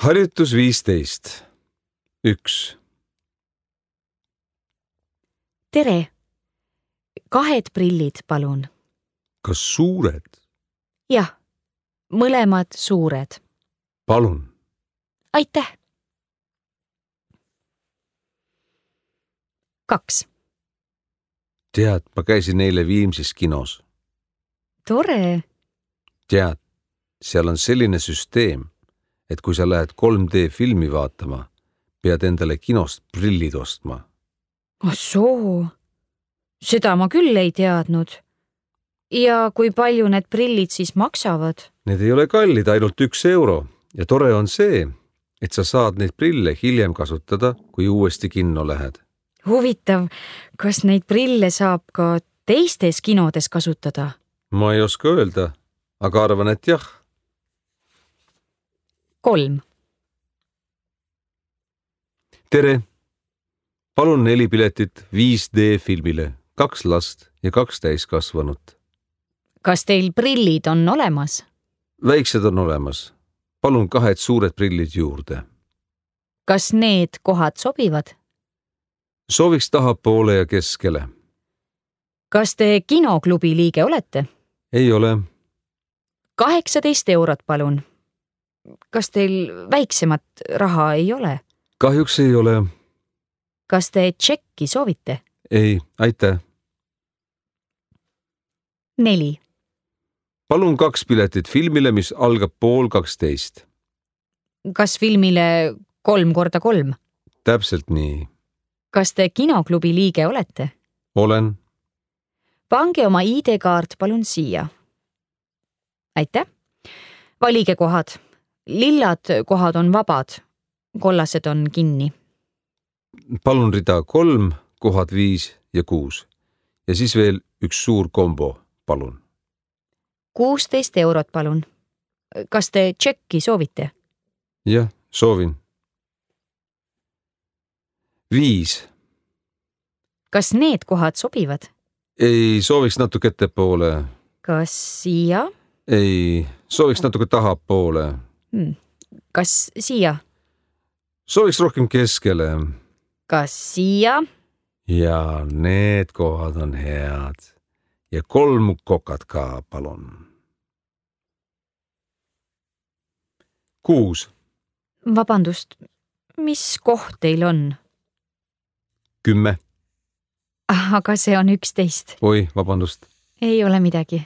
Harjutus 15. 1. Tere! 2 prillid, palun. Kas suured? Jah, mõlemad suured. Palun. Aitäh! 2. Tead, ma käisin eile Viimsis kinos. Tore! Tead, seal on selline süsteem, et kui sa lähed 3D filmi vaatama, pead endale kinost prillid ostma. Oh soo! Seda ma küll ei teadnud. Ja kui palju need prillid siis maksavad? Need ei ole kallid, ainult 1 euro. Ja tore on see, et sa saad neid prille hiljem kasutada, kui uuesti kinno lähed. Huvitav, kas neid prille saab ka teistes kinodes kasutada? Ma ei oska öelda, aga arvan, et jah. 3. Tere! Palun 4 piletit 5D filmile, 2 last ja 2 täiskasvanut. Kas teil prillid on olemas? Väiksed on olemas. Palun 2 suured prillid juurde. Kas need kohad sobivad? Sooviks tahapoole ja keskele. Kas te kinoklubi liige olete? Ei ole. 18 eurot, palun. Kas teil väiksemat raha ei ole? Kahjuks ei ole. Kas te tšekki soovite? Ei, aitäh. 4. Palun 2 piletit filmile, mis algab 11:30. Kas filmile 3x3? Täpselt nii. Kas te kinoklubi liige olete? Olen. Pange oma ID-kaart palun siia. Aitäh. Valige kohad. Lillad kohad on vabad. Kollased on kinni. Palun rida 3, kohad 5 ja 6. Ja siis veel 1 suur kombo, palun. 16 eurot, palun. Kas te tšekki soovite? Jah, soovin. 5. Kas need kohad sobivad? Ei, sooviks natuke ettepoole. Kas siia? Ei, sooviks natuke tahapoole. Kas siia? Sooviks rohkem keskele. Kas siia? Ja need kohad on head. Ja 3 kokad ka, palun. 6. Vabandust, mis koht teil on? 10. Aga see on 11. Oi, vabandust. Ei ole midagi.